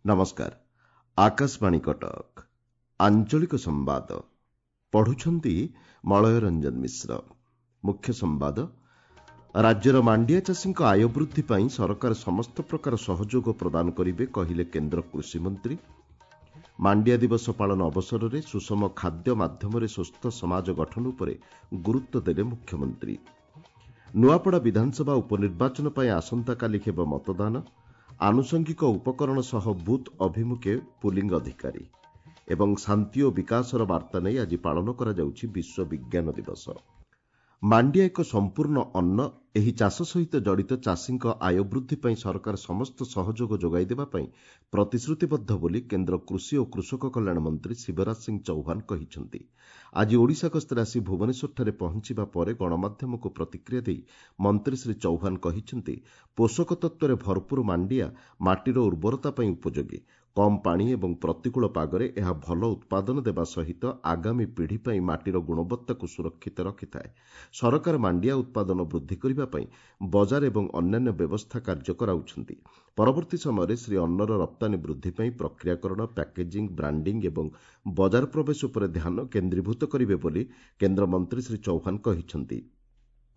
ନମସ୍କାର, ଆକାଶବାଣୀ କଟକ। ଆଞ୍ଚଳିକ ସମ୍ବାଦ ପଢୁଛନ୍ତି ମଳୟ ରଞ୍ଜନ ମିଶ୍ର। ମୁଖ୍ୟ ସମ୍ବାଦ, ରାଜ୍ୟର ମାଣ୍ଡିଆ ଚାଷୀଙ୍କ ଆୟ ବୃଦ୍ଧି ପାଇଁ ସରକାର ସମସ୍ତ ପ୍ରକାର ସହଯୋଗ ପ୍ରଦାନ କରିବେ, କହିଲେ କେନ୍ଦ୍ର କୃଷିମନ୍ତ୍ରୀ। ମାଣ୍ଡିଆ ଦିବସ ପାଳନ ଅବସରରେ ସୁଷମ ଖାଦ୍ୟ ମାଧ୍ୟମରେ ସୁସ୍ଥ ସମାଜ ଗଠନ ଉପରେ ଗୁରୁତ୍ୱ ଦେଲେ ମୁଖ୍ୟମନ୍ତ୍ରୀ। ନୂଆପଡ଼ା ବିଧାନସଭା ଉପନିର୍ବାଚନ ପାଇଁ ଆସନ୍ତାକାଲି ହେବ ମତଦାନ। ଆନୁଷଙ୍ଗିକ ଉପକରଣ ସହ ବୁଥ୍ ଅଭିମୁଖେ ପୁଲିଂ ଅଧିକାରୀ। ଏବଂ ଶାନ୍ତି ଓ ବିକାଶର ବାର୍ତ୍ତା ନେଇ ଆଜି ପାଳନ କରାଯାଉଛି ବିଶ୍ୱ ବିଜ୍ଞାନ ଦିବସ। ମାଣ୍ଡିଆ ଏକ ସମ୍ପୂର୍ଣ୍ଣ ଅନ୍ନ। ଏହି ଚାଷ ସହିତ ଜଡ଼ିତ ଚାଷୀଙ୍କ ଆୟ ବୃଦ୍ଧି ପାଇଁ ସରକାର ସମସ୍ତ ସହଯୋଗ ଯୋଗାଇ ଦେବା ପାଇଁ ପ୍ରତିଶ୍ରୁତିବଦ୍ଧ ବୋଲି କେନ୍ଦ୍ର କୃଷି ଓ କୃଷକ କଲ୍ୟାଣ ମନ୍ତ୍ରୀ ଶିବରାଜ ସିଂ ଚୌହାନ କହିଛନ୍ତି। ଆଜି ଓଡ଼ିଶା ଗସ୍ତରେ ଆସି ଭୁବନେଶ୍ୱରଠାରେ ପହଞ୍ଚିବା ପରେ ଗଣମାଧ୍ୟମକୁ ପ୍ରତିକ୍ରିୟା ଦେଇ ମନ୍ତ୍ରୀ ଶ୍ରୀ ଚୌହାନ କହିଛନ୍ତି, ପୋଷକ ତତ୍ତ୍ୱରେ ଭରପୁର ମାଣ୍ଡିଆ ମାଟିର ଉର୍ବରତା ପାଇଁ ଉପଯୋଗୀ। କମ୍ ପାଣି ଏବଂ ପ୍ରତିକୂଳ ପାଗରେ ଏହା ଭଲ ଉତ୍ପାଦନ ଦେବା ସହିତ ଆଗାମୀ ପିଢ଼ି ପାଇଁ ମାଟିର ଗୁଣବତ୍ତାକୁ ସୁରକ୍ଷିତ ରଖିଥାଏ। ସରକାର ମାଣ୍ଡିଆ ଉତ୍ପାଦନ ବୃଦ୍ଧି କରିବା ପାଇଁ ବଜାର ଏବଂ ଅନ୍ୟାନ୍ୟ ବ୍ୟବସ୍ଥା କାର୍ଯ୍ୟ କରାଉଛନ୍ତି। ପରବର୍ତ୍ତୀ ସମୟରେ ଶ୍ରୀ ଅନ୍ନର ରପ୍ତାନୀ ବୃଦ୍ଧି ପାଇଁ ପ୍ରକ୍ରିୟାକରଣ, ପ୍ୟାକେଜିଂ, ବ୍ରାଣ୍ଡିଂ ଏବଂ ବଜାର ପ୍ରବେଶ ଉପରେ ଧ୍ୟାନ କେନ୍ଦ୍ରୀଭୂତ କରିବେ ବୋଲି କେନ୍ଦ୍ରମନ୍ତ୍ରୀ ଶ୍ରୀ ଚୌହାନ କହିଛନ୍ତି।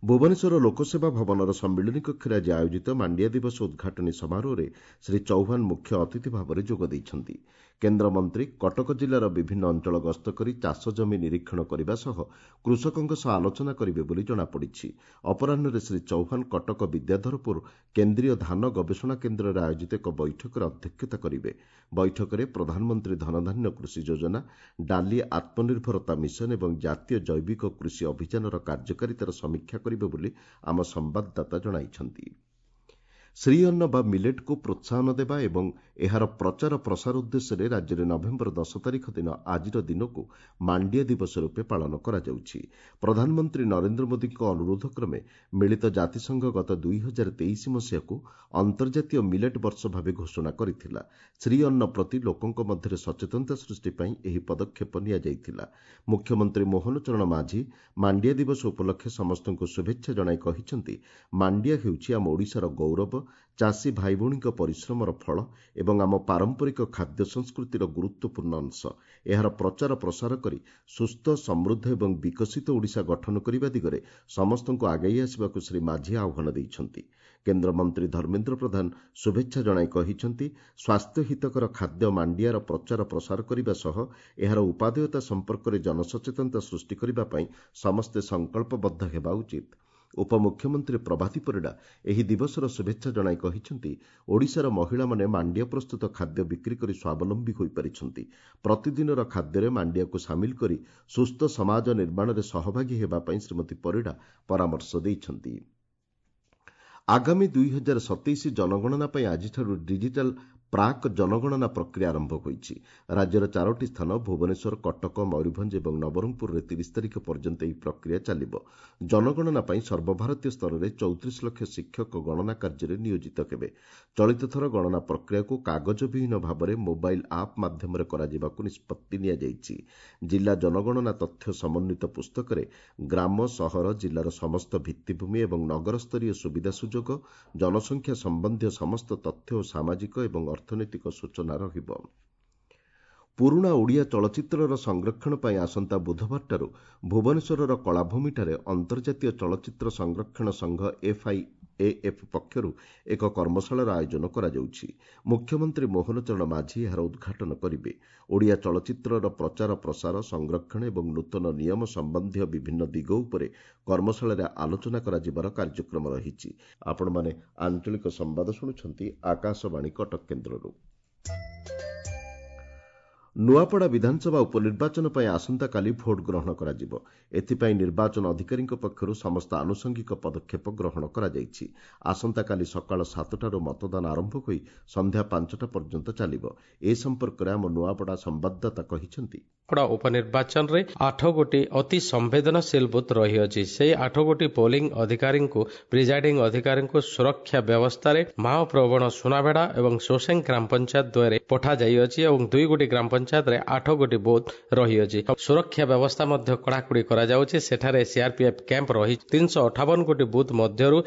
ଭୁବନେଶ୍ୱର ଲୋକସେବା ଭବନର ସମ୍ମିଳନୀ କକ୍ଷରେ ଆଜି ଆୟୋଜିତ ମାଣ୍ଡିଆ ଦିବସ ଉଦ୍ଘାଟନୀ ସମାରୋହରେ ଶ୍ରୀ ଚୌହାନ ମୁଖ୍ୟ ଅତିଥି ଭାବରେ ଯୋଗ ଦେଇଛନ୍ତି। କେନ୍ଦ୍ରମନ୍ତ୍ରୀ କଟକ ଜିଲ୍ଲାର ବିଭିନ୍ନ ଅଞ୍ଚଳ ଗସ୍ତ କରି ଚାଷ ଜମି ନିରୀକ୍ଷଣ କରିବା ସହ କୃଷକଙ୍କ ସହ ଆଲୋଚନା କରିବେ ବୋଲି ଜଣାପଡ଼ିଛି। ଅପରାହ୍ନରେ ଶ୍ରୀ ଚୌହାନ କଟକ ବିଦ୍ୟାଧରପୁର କେନ୍ଦ୍ରୀୟ ଧାନ ଗବେଷଣା କେନ୍ଦ୍ରରେ ଆୟୋଜିତ ଏକ ବୈଠକରେ ଅଧ୍ୟକ୍ଷତା କରିବେ। ବୈଠକରେ ପ୍ରଧାନମନ୍ତ୍ରୀ ଧନଧାନ୍ୟ କୃଷି ଯୋଜନା, ଡାଲି ଆତ୍ମନିର୍ଭରତା ମିଶନ ଏବଂ ଜାତୀୟ ଜୈବିକ କୃଷି ଅଭିଯାନର କାର୍ଯ୍ୟକାରିତାର ସମୀକ୍ଷା କରିବେ ବୋଲି ଆମ ସମ୍ବାଦଦାତା ଜଣାଇଛନ୍ତି। ଶ୍ରୀଅନ୍ନ ବା ମିଲେଟ୍କୁ ପ୍ରୋତ୍ସାହନ ଦେବା ଏବଂ ଏହାର ପ୍ରଚାର ପ୍ରସାର ଉଦ୍ଦେଶ୍ୟରେ ରାଜ୍ୟରେ ନଭେମ୍ବର 10 ତାରିଖ ଦିନ ଆଜିର ଦିନକୁ ମାଣ୍ଡିଆ ଦିବସ ରୂପେ ପାଳନ କରାଯାଉଛି। ପ୍ରଧାନମନ୍ତ୍ରୀ ନରେନ୍ଦ୍ର ମୋଦିଙ୍କ ଅନୁରୋଧ କ୍ରମେ ମିଳିତ ଜାତିସଂଘ ଗତ 2023 ମସିହାକୁ ଅନ୍ତର୍ଜାତୀୟ ମିଲେଟ୍ ବର୍ଷ ଭାବେ ଘୋଷଣା କରିଥିଲା। ଶ୍ରୀଅନ୍ନ ପ୍ରତି ଲୋକଙ୍କ ମଧ୍ୟରେ ସଚେତନତା ସୃଷ୍ଟି ପାଇଁ ଏହି ପଦକ୍ଷେପ ନିଆଯାଇଥିଲା। ମୁଖ୍ୟମନ୍ତ୍ରୀ ମୋହନ ଚରଣ ମାଝୀ ମାଣ୍ଡିଆ ଦିବସ ଉପଲକ୍ଷେ ସମସ୍ତଙ୍କୁ ଶୁଭେଚ୍ଛା ଜଣାଇ କହିଛନ୍ତି, ମାଣ୍ଡିଆ ହେଉଛି ଆମ ଓଡ଼ିଶାର ଗୌରବ, ଚାଷୀ ଭାଇଭଉଣୀଙ୍କ ପରିଶ୍ରମର ଫଳ ଏବଂ ଆମ ପାରମ୍ପରିକ ଖାଦ୍ୟ ସଂସ୍କୃତିର ଗୁରୁତ୍ୱପୂର୍ଣ୍ଣ ଅଂଶ। ଏହାର ପ୍ରଚାର ପ୍ରସାର କରି ସୁସ୍ଥ, ସମୃଦ୍ଧ ଏବଂ ବିକଶିତ ଓଡ଼ିଶା ଗଠନ କରିବା ଦିଗରେ ସମସ୍ତଙ୍କୁ ଆଗେଇ ଆସିବାକୁ ଶ୍ରୀ ମାଝୀ ଆହ୍ୱାନ ଦେଇଛନ୍ତି। କେନ୍ଦ୍ରମନ୍ତ୍ରୀ ଧର୍ମେନ୍ଦ୍ର ପ୍ରଧାନ ଶୁଭେଚ୍ଛା ଜଣାଇ କହିଛନ୍ତି, ସ୍ୱାସ୍ଥ୍ୟ ହିତକର ଖାଦ୍ୟ ମାଣ୍ଡିଆର ପ୍ରଚାର ପ୍ରସାର କରିବା ସହ ଏହାର ଉପାଦେୟତା ସମ୍ପର୍କରେ ଜନସଚେତନତା ସୃଷ୍ଟି କରିବା ପାଇଁ ସମସ୍ତେ ସଂକଳ୍ପବଦ୍ଧ ହେବା ଉଚିତ। ଉପମୁଖ୍ୟମନ୍ତ୍ରୀ ପ୍ରଭାତୀ ପରିଡ଼ା ଏହି ଦିବସର ଶୁଭେଚ୍ଛା ଜଣାଇ କହିଛନ୍ତି, ଓଡ଼ିଶାର ମହିଳାମାନେ ମାଣ୍ଡିଆ ପ୍ରସ୍ତୁତ ଖାଦ୍ୟ ବିକ୍ରି କରି ସ୍ୱାବଲମ୍ବୀ ହୋଇପାରିଛନ୍ତି। ପ୍ରତିଦିନର ଖାଦ୍ୟରେ ମାଣ୍ଡିଆକୁ ସାମିଲ କରି ସୁସ୍ଥ ସମାଜ ନିର୍ମାଣରେ ସହଭାଗୀ ହେବା ପାଇଁ ଶ୍ରୀମତୀ ପରିଡ଼ା ପରାମର୍ଶ ଦେଇଛନ୍ତି। ଆଗାମୀ 2027 ଜନଗଣନା ପାଇଁ ଆଜିଠାରୁ ଡିଜିଟାଲ ପ୍ରାକ୍ ଜନଗଣନା ପ୍ରକ୍ରିୟା ଆରମ୍ଭ ହୋଇଛି। ରାଜ୍ୟର ଚାରୋଟି ସ୍ଥାନ ଭୁବନେଶ୍ୱର, କଟକ, ମୟୂରଭଞ୍ଜ ଏବଂ ନବରଙ୍ଗପୁରରେ 30 ତାରିଖ ପର୍ଯ୍ୟନ୍ତ ଏହି ପ୍ରକ୍ରିୟା ଚାଲିବ। ଜନଗଣନା ପାଇଁ ସର୍ବଭାରତୀୟ ସ୍ତରରେ 34 ଲକ୍ଷ ଶିକ୍ଷକ ଗଣନା କାର୍ଯ୍ୟରେ ନିୟୋଜିତ ହେବେ। ଚଳିତ ଥର ଗଣନା ପ୍ରକ୍ରିୟାକୁ କାଗଜବିହୀନ ଭାବରେ ମୋବାଇଲ ଆପ୍ ମାଧ୍ୟମରେ କରାଯିବାକୁ ନିଷ୍ପତ୍ତି ନିଆଯାଇଛି। ଜିଲ୍ଲା ଜନଗଣନା ତଥ୍ୟ ସମନ୍ୱିତ ପୁସ୍ତକରେ ଗ୍ରାମ, ସହର, ଜିଲ୍ଲାର ସମସ୍ତ ଭିତ୍ତିଭୂମି ଏବଂ ନଗରସ୍ତରୀୟ ସୁବିଧା ସୁଯୋଗ, ଜନସଂଖ୍ୟା ସମ୍ବନ୍ଧୀୟ ସମସ୍ତ ତଥ୍ୟ ଓ ସାମାଜିକ ଏବଂ ଅର୍ଥନୈତିକ ସୂଚନା ରହିବ। ପୁରୁଣା ଓଡ଼ିଆ ଚଳଚ୍ଚିତ୍ରର ସଂରକ୍ଷଣ ପାଇଁ ଆସନ୍ତା ବୁଧବାରଠାରୁ ଭୁବନେଶ୍ୱରର କଳାଭୂମିଠାରେ ଅନ୍ତର୍ଜାତୀୟ ଚଳଚ୍ଚିତ୍ର ସଂରକ୍ଷଣ ସଂଘ ଏଫ୍ଆଇଏଏଫ୍ ପକ୍ଷରୁ ଏକ କର୍ମଶାଳାର ଆୟୋଜନ କରାଯାଉଛି। ମୁଖ୍ୟମନ୍ତ୍ରୀ ମୋହନ ଚରଣ ମାଝୀ ଏହାର ଉଦ୍ଘାଟନ କରିବେ। ଓଡ଼ିଆ ଚଳଚ୍ଚିତ୍ରର ପ୍ରଚାର ପ୍ରସାର, ସଂରକ୍ଷଣ ଏବଂ ନୂତନ ନିୟମ ସମ୍ବନ୍ଧୀୟ ବିଭିନ୍ନ ଦିଗ ଉପରେ କର୍ମଶାଳାରେ ଆଲୋଚନା କରାଯିବାର କାର୍ଯ୍ୟକ୍ରମ ରହିଛି। ଆପଣମାନେ ଆଞ୍ଚଳିକ ସମ୍ବାଦ ଶୁଣୁଛନ୍ତି ଆକାଶବାଣୀ କଟକ କେନ୍ଦ୍ରରୁ। ନୂଆପଡ଼ା ବିଧାନସଭା ଉପନିର୍ବାଚନ ପାଇଁ ଆସନ୍ତାକାଲି ଭୋଟ ଗ୍ରହଣ କରାଯିବ। ଏଥିପାଇଁ ନିର୍ବାଚନ ଅଧିକାରୀଙ୍କ ପକ୍ଷରୁ ସମସ୍ତ ଆନୁଷଙ୍ଗିକ ପଦକ୍ଷେପ ଗ୍ରହଣ କରାଯାଇଛି। ଆସନ୍ତାକାଲି ସକାଳ 7ଟାରୁ ମତଦାନ ଆରମ୍ଭ ହୋଇ ସନ୍ଧ୍ୟା 5ଟା ପର୍ଯ୍ୟନ୍ତ ଚାଲିବ। ଏ ସମ୍ପର୍କରେ ଆମ ନୂଆପଡ଼ା ସମ୍ବାଦଦାତା କହିଛନ୍ତି, ପଡ଼ା ଉପନିର୍ବାଚନରେ 8 ଗୋଟି ଅତି ସମ୍ବେଦନଶୀଳ ବୁଥ ରହିଅଛି। ସେହି 8 ଗୋଟି ପୋଲିଂ ଅଧିକାରୀଙ୍କୁ, ପ୍ରିଜାଇଡିଂ ଅଧିକାରୀଙ୍କୁ ସୁରକ୍ଷା ବ୍ୟବସ୍ଥାରେ ମାଓପ୍ରବଣ ସୁନାବେଡ଼ା ଏବଂ ସୋସେଂ ଗ୍ରାମ ପଞ୍ଚାୟତ ଦ୍ୱୟରେ ପଠାଯାଇଅଛି ଏବଂ 2 ଗୋଟି ଗ୍ରାମ ପଞ୍ଚାୟତରେ 8 ଗୋଟି ବୁଥ ରହିଅଛି। ସୁରକ୍ଷା ବ୍ୟବସ୍ଥା ମଧ୍ୟ କଡ଼ାକଡ଼ି କରାଯାଉଛି। ସେଠାରେ ସିଆର୍ପିଏଫ୍ କ୍ୟାମ୍ପ ରହି 358 ଗୋଟି ବୁଥ ମଧ୍ୟରୁ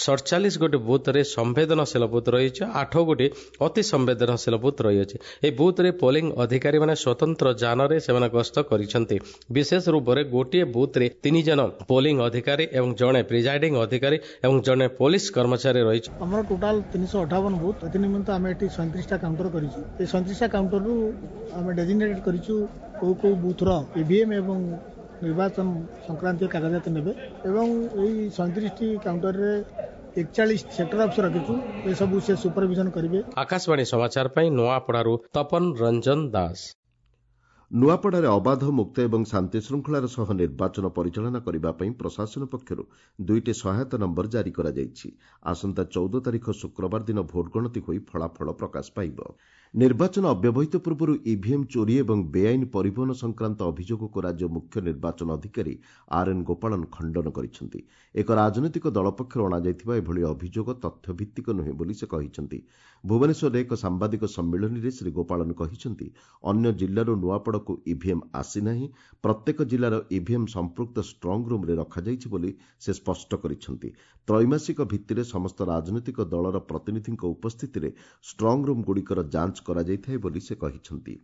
47 ଗୋଟି ବୁଥରେ ସମ୍ବେଦନଶୀଳ ବୁଥ ରହିଛି, 8 ଗୋଟି ଅତି ସମ୍ବେଦନଶୀଳ ବୁଥ ରହିଅଛି। ଏହି ବୁଥରେ ପୋଲିଂ ଅଧିକାରୀମାନେ ସ୍ୱତନ୍ତ୍ର ଯାନରେ ସେମାନେ ଗସ୍ତ କରିଛନ୍ତି। ବିଶେଷ ରୂପରେ ଗୋଟିଏ ବୁଥରେ 3 ଜଣ ପୋଲିଂ ଅଧିକାରୀ ଏବଂ ଜଣେ ପ୍ରିଜାଇଡିଂ ଅଧିକାରୀ ଏବଂ ଜଣେ ପୋଲିସ କର୍ମଚାରୀ ରହିଛି। ଆମର ଟୋଟାଲ 358 ବୁଥ। ଏଥି ନିମନ୍ତେ ଆମେ ଏଠି 37ଟା କାଉଣ୍ଟର କରିଛୁ। ଏ 37ଟା କାଉଣ୍ଟରରୁ ଆମେ ଡେଜିଗ୍ନେଟେଡ୍ କରିଛୁ କୋଉ କୋଉ ବୁଥର ଇଭିଏମ୍ ଏବଂ ନିର୍ବାଚନ ସଂକ୍ରାନ୍ତୀୟ କାଗଜାତ ନେବେ ଏବଂ ଏଇ 37ଟି କାଉଣ୍ଟରରେ 41 ସେକ୍ଟର ଅଫିସର ରଖିଛୁ। ଏସବୁ ସେ ସୁପରଭିଜନ କରିବେ। ଆକାଶବାଣୀ ସମାଚାର ପାଇଁ ନୂଆପଡ଼ାରୁ ତପନ ରଞ୍ଜନ ଦାସ। ନୂଆପଡ଼ାରେ ଅବାଧ, ମୁକ୍ତ ଏବଂ ଶାନ୍ତିଶୃଙ୍ଖଳାର ସହ ନିର୍ବାଚନ ପରିଚାଳନା କରିବା ପାଇଁ ପ୍ରଶାସନ ପକ୍ଷରୁ 2ଟି ସହାୟତା ନମ୍ବର ଜାରି କରାଯାଇଛି। ଆସନ୍ତା 14 ତାରିଖ ଶୁକ୍ରବାର ଦିନ ଭୋଟ ଗଣତି ହୋଇ ଫଳାଫଳ ପ୍ରକାଶ ପାଇବ। ନିର୍ବାଚନ ଅବ୍ୟବହିତ ପୂର୍ବରୁ ଇଭିଏମ୍ ଚୋରି ଏବଂ ବେଆଇନ ପରିବହନ ସଂକ୍ରାନ୍ତ ଅଭିଯୋଗକୁ ରାଜ୍ୟ ମୁଖ୍ୟ ନିର୍ବାଚନ ଅଧିକାରୀ ଆର୍ ଏନ୍ ଗୋପାଳନ ଖଣ୍ଡନ କରିଛନ୍ତି। ଏକ ରାଜନୈତିକ ଦଳ ପକ୍ଷରୁ ଅଣାଯାଇଥିବା ଏଭଳି ଅଭିଯୋଗ ତଥ୍ୟଭିତ୍ତିକ ନୁହେଁ ବୋଲି ସେ କହିଛନ୍ତି। ଭୁବନେଶ୍ୱରରେ ଏକ ସାମ୍ବାଦିକ ସମ୍ମିଳନୀରେ ଶ୍ରୀ ଗୋପାଳନ କହିଛନ୍ତି, ଅନ୍ୟ ଜିଲ୍ଲାରୁ ନୂଆପଡ଼ାକୁ ଇଭିଏମ୍ ଆସିନାହିଁ। ପ୍ରତ୍ୟେକ ଜିଲ୍ଲାର ଇଭିଏମ୍ ସମ୍ପୃକ୍ତ ଷ୍ଟ୍ରଙ୍ଗ ରୁମ୍ରେ ରଖାଯାଇଛି ବୋଲି ସେ ସ୍ପଷ୍ଟ କରିଛନ୍ତି। ତ୍ରୈମାସିକ ଭିତ୍ତିରେ ସମସ୍ତ ରାଜନୈତିକ ଦଳର ପ୍ରତିନିଧିଙ୍କ ଉପସ୍ଥିତିରେ ଷ୍ଟ୍ରଙ୍ଗ ରୁମ୍ଗୁଡ଼ିକର ଯାଞ୍ଚ କରାଯାଇଥାଏ ବୋଲି ସେ କହିଛନ୍ତି।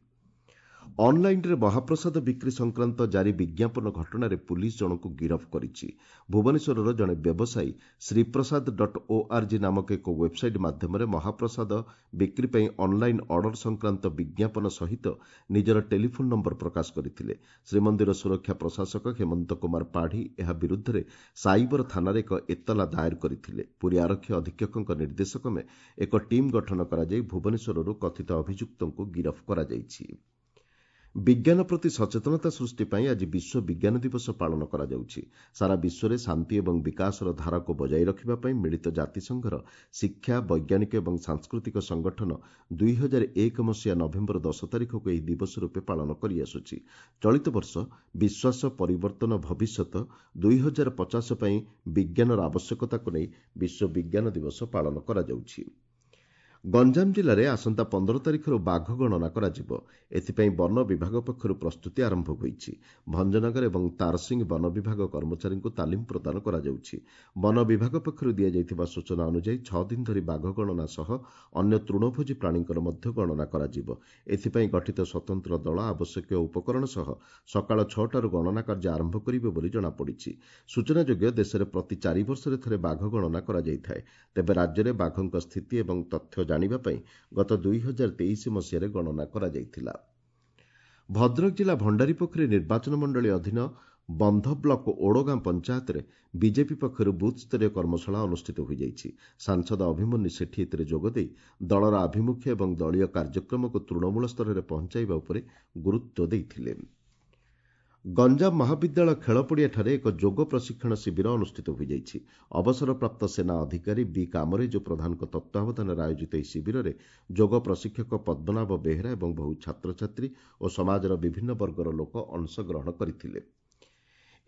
ଅନ୍ଲାଇନ୍ରେ ମହାପ୍ରସାଦ ବିକ୍ରି ସଂକ୍ରାନ୍ତ ଜାରି ବିଜ୍ଞାପନ ଘଟଣାରେ ପୁଲିସ୍ ଜଣଙ୍କୁ ଗିରଫ କରିଛି। ଭୁବନେଶ୍ୱରର ଜଣେ ବ୍ୟବସାୟୀ ଶ୍ରୀପ୍ରସାଦ.org ନାମକ ଏକ ୱେବ୍ସାଇଟ୍ ମାଧ୍ୟମରେ ମହାପ୍ରସାଦ ବିକ୍ରି ପାଇଁ ଅନ୍ଲାଇନ୍ ଅର୍ଡର ସଂକ୍ରାନ୍ତ ବିଜ୍ଞାପନ ସହିତ ନିଜର ଟେଲିଫୋନ୍ ନମ୍ବର ପ୍ରକାଶ କରିଥିଲେ। ଶ୍ରୀମନ୍ଦିର ସୁରକ୍ଷା ପ୍ରଶାସକ ହେମନ୍ତ କୁମାର ପାଢ଼ୀ ଏହା ବିରୁଦ୍ଧରେ ସାଇବର ଥାନାରେ ଏକ ଏତଲା ଦାଏର କରିଥିଲେ। ପୁରୀ ଆରକ୍ଷୀ ଅଧୀକ୍ଷକଙ୍କ ନିର୍ଦ୍ଦେଶକ୍ରମେ ଏକ ଟିମ୍ ଗଠନ କରାଯାଇ ଭୁବନେଶ୍ୱରରୁ କଥିତ ଅଭିଯୁକ୍ତଙ୍କୁ ଗିରଫ କରାଯାଇଛି। ବିଜ୍ଞାନ ପ୍ରତି ସଚେତନତା ସୃଷ୍ଟି ପାଇଁ ଆଜି ବିଶ୍ୱ ବିଜ୍ଞାନ ଦିବସ ପାଳନ କରାଯାଉଛି। ସାରା ବିଶ୍ୱରେ ଶାନ୍ତି ଏବଂ ବିକାଶର ଧାରାକୁ ବଜାୟ ରଖିବା ପାଇଁ ମିଳିତ ଜାତିସଂଘର ଶିକ୍ଷା, ବୈଜ୍ଞାନିକ ଏବଂ ସାଂସ୍କୃତିକ ସଂଗଠନ 2001 ମସିହା ନଭେମ୍ବର 10 ତାରିଖକୁ ଏହି ଦିବସ ରୂପେ ପାଳନ କରିଆସୁଛି। ଚଳିତ ବର୍ଷ ବିଶ୍ୱାସ, ପରିବର୍ତ୍ତନ, ଭବିଷ୍ୟତ 2050 ପାଇଁ ବିଜ୍ଞାନର ଆବଶ୍ୟକତାକୁ ନେଇ ବିଶ୍ୱ ବିଜ୍ଞାନ ଦିବସ ପାଳନ କରାଯାଉଛି। ଗଞ୍ଜାମ ଜିଲ୍ଲାରେ ଆସନ୍ତା 15 ତାରିଖରୁ ବାଘ ଗଣନା କରାଯିବ। ଏଥିପାଇଁ ବନ ବିଭାଗ ପକ୍ଷରୁ ପ୍ରସ୍ତୁତି ଆରମ୍ଭ ହୋଇଛି। ଭଞ୍ଜନଗର ଏବଂ ତାରସିଂ ବନ ବିଭାଗ କର୍ମଚାରୀଙ୍କୁ ତାଲିମ ପ୍ରଦାନ କରାଯାଉଛି। ବନ ବିଭାଗ ପକ୍ଷରୁ ଦିଆଯାଇଥିବା ସୂଚନା ଅନୁଯାୟୀ 6 ଦିନ ଧରି ବାଘ ଗଣନା ସହ ଅନ୍ୟ ତୃଣଭୋଜୀ ପ୍ରାଣୀଙ୍କର ମଧ୍ୟ ଗଣନା କରାଯିବ। ଏଥିପାଇଁ ଗଠିତ ସ୍ୱତନ୍ତ୍ର ଦଳ ଆବଶ୍ୟକୀୟ ଉପକରଣ ସହ ସକାଳ 6ଟାରୁ ଗଣନା କାର୍ଯ୍ୟ ଆରମ୍ଭ କରିବେ ବୋଲି ଜଣାପଡ଼ିଛି। ସୂଚନାଯୋଗ୍ୟ, ଦେଶରେ ପ୍ରତି 4 ବର୍ଷରେ ଥରେ ବାଘ ଗଣନା କରାଯାଇଥାଏ। ତେବେ ରାଜ୍ୟରେ ବାଘଙ୍କ ସ୍ଥିତି ଏବଂ ତଥ୍ୟ ଜାଣିବା ପାଇଁ ଗତ 2023 ମସିହାରେ ଗଣନା କରାଯାଇଥିଲା। ଭଦ୍ରକ ଜିଲ୍ଲା ଭଣ୍ଡାରୀପୋଖରୀ ନିର୍ବାଚନ ମଣ୍ଡଳୀ ଅଧୀନ ବନ୍ଧ ବ୍ଲକ ଓଡ଼ଗାଁ ପଞ୍ଚାୟତରେ ବିଜେପି ପକ୍ଷରୁ ବୁଥ୍ସ୍ତରୀୟ କର୍ମଶାଳା ଅନୁଷ୍ଠିତ ହୋଇଯାଇଛି। ସାଂସଦ ଅଭିମନ୍ୟୁ ସେଠୀ ଏଥିରେ ଯୋଗଦେଇ ଦଳର ଆଭିମୁଖ୍ୟ ଏବଂ ଦଳୀୟ କାର୍ଯ୍ୟକ୍ରମକୁ ତୃଣମୂଳ ସ୍ତରରେ ପହଞ୍ଚାଇବା ଉପରେ ଗୁରୁତ୍ୱ ଦେଇଥିଲେ। ଗଞ୍ଜାମ ମହାବିଦ୍ୟାଳୟ ଖେଳପଡ଼ିଆଠାରେ ଏକ ଯୋଗ ପ୍ରଶିକ୍ଷଣ ଶିବିର ଅନୁଷ୍ଠିତ ହୋଇଯାଇଛି। ଅବସରପ୍ରାପ୍ତ ସେନା ଅଧିକାରୀ ବି କାମରେଜୁ ପ୍ରଧାନଙ୍କ ତତ୍ତ୍ୱାବଧାନରେ ଆୟୋଜିତ ଏହି ଶିବିରରେ ଯୋଗ ପ୍ରଶିକ୍ଷକ ପଦ୍ମନାଭ ବେହେରା ଏବଂ ବହୁ ଛାତ୍ରଛାତ୍ରୀ ଓ ସମାଜର ବିଭିନ୍ନ ବର୍ଗର ଲୋକ ଅଂଶଗ୍ରହଣ କରିଥିଲେ।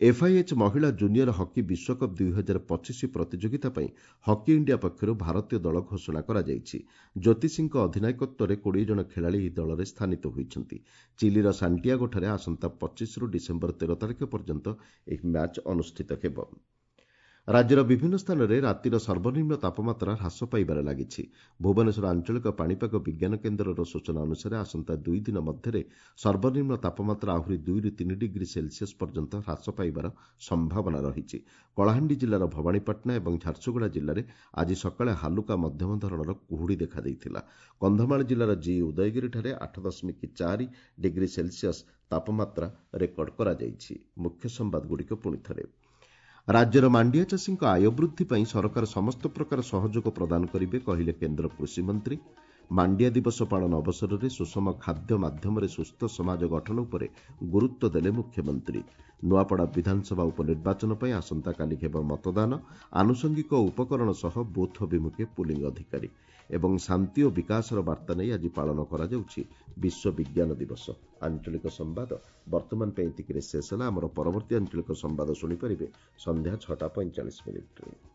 ଏଫ୍ଆଇଏଚ୍ ମହିଳା ଜୁନିୟର ହକି ବିଶ୍ୱକପ୍ 2025 ପ୍ରତିଯୋଗିତା ପାଇଁ ହକି ଇଣ୍ଡିଆ ପକ୍ଷରୁ ଭାରତୀୟ ଦଳ ଘୋଷଣା କରାଯାଇଛି। ଜ୍ୟୋତି ସିଂଙ୍କ ଅଧିନାୟକତ୍ୱରେ 20 ଜଣ ଖେଳାଳି ଏହି ଦଳରେ ସ୍ଥାନିତ ହୋଇଛନ୍ତି। ଚିଲିର ସାଣ୍ଟିଆଗୋଠାରେ ଆସନ୍ତା 25ରୁ ଡିସେମ୍ବର 13 ତାରିଖ ପର୍ଯ୍ୟନ୍ତ ଏହି ମ୍ୟାଚ୍ ଅନୁଷ୍ଠିତ ହେବ। ରାଜ୍ୟର ବିଭିନ୍ନ ସ୍ଥାନରେ ରାତିର ସର୍ବନିମ୍ନ ତାପମାତ୍ରା ହ୍ରାସ ପାଇବାରେ ଲାଗିଛି। ଭୁବନେଶ୍ୱର ଆଞ୍ଚଳିକ ପାଣିପାଗ ବିଜ୍ଞାନ କେନ୍ଦ୍ରର ସୂଚନା ଅନୁସାରେ ଆସନ୍ତା 2 ଦିନ ମଧ୍ୟରେ ସର୍ବନିମ୍ନ ତାପମାତ୍ରା ଆହୁରି 2ରୁ 3 ଡିଗ୍ରୀ ସେଲସିୟସ୍ ପର୍ଯ୍ୟନ୍ତ ହ୍ରାସ ପାଇବାର ସମ୍ଭାବନା ରହିଛି। କଳାହାଣ୍ଡି ଜିଲ୍ଲାର ଭବାନୀପାଟଣା ଏବଂ ଝାରସୁଗୁଡ଼ା ଜିଲ୍ଲାରେ ଆଜି ସକାଳେ ହାଲୁକା ମଧ୍ୟମ ଧରଣର କୁହୁଡ଼ି ଦେଖାଦେଇଥିଲା। କନ୍ଧମାଳ ଜିଲ୍ଲାର ଜି ଉଦୟଗିରିଠାରେ 8.4 ଡିଗ୍ରୀ ସେଲସିୟସ୍ ତାପମାତ୍ରା ରେକର୍ଡ କରାଯାଇଛି। ମୁଖ୍ୟ ସମ୍ବାଦଗୁଡ଼ିକ ପୁଣି ଥରେ। ରାଜ୍ୟର ମାଣ୍ଡିଆ ଚାଷୀଙ୍କ ଆୟ ବୃଦ୍ଧି ପାଇଁ ସରକାର ସମସ୍ତ ପ୍ରକାର ସହଯୋଗ ପ୍ରଦାନ କରିବେ, କହିଲେ କେନ୍ଦ୍ର କୃଷିମନ୍ତ୍ରୀ। ମାଣ୍ଡିଆ ଦିବସ ପାଳନ ଅବସରରେ ସୁଷମ ଖାଦ୍ୟ ମାଧ୍ୟମରେ ସୁସ୍ଥ ସମାଜ ଗଠନ ଉପରେ ଗୁରୁତ୍ୱ ଦେଲେ ମୁଖ୍ୟମନ୍ତ୍ରୀ। ନୂଆପଡ଼ା ବିଧାନସଭା ଉପନିର୍ବାଚନ ପାଇଁ ଆସନ୍ତାକାଲି ହେବ ମତଦାନ। ଆନୁଷଙ୍ଗିକ ଉପକରଣ ସହ ବୁଥ୍ ଅଭିମୁଖେ ପୁଲିଂ ଅଧିକାରୀ। ଏବଂ ଶାନ୍ତି ଓ ବିକାଶର ବାର୍ତ୍ତା ନେଇ ଆଜି ପାଳନ କରାଯାଉଛି ବିଶ୍ୱ ବିଜ୍ଞାନ ଦିବସ। ଆଞ୍ଚଳିକ ସମ୍ବାଦ ବର୍ତ୍ତମାନ ପାଇଁ ଏତିକିରେ ଶେଷ ହେଲା। ଆମର ପରବର୍ତ୍ତୀ ଆଞ୍ଚଳିକ ସମ୍ବାଦ ଶୁଣିପାରିବେ ସନ୍ଧ୍ୟା 6ଟା 45 ମିନିଟ୍ରେ।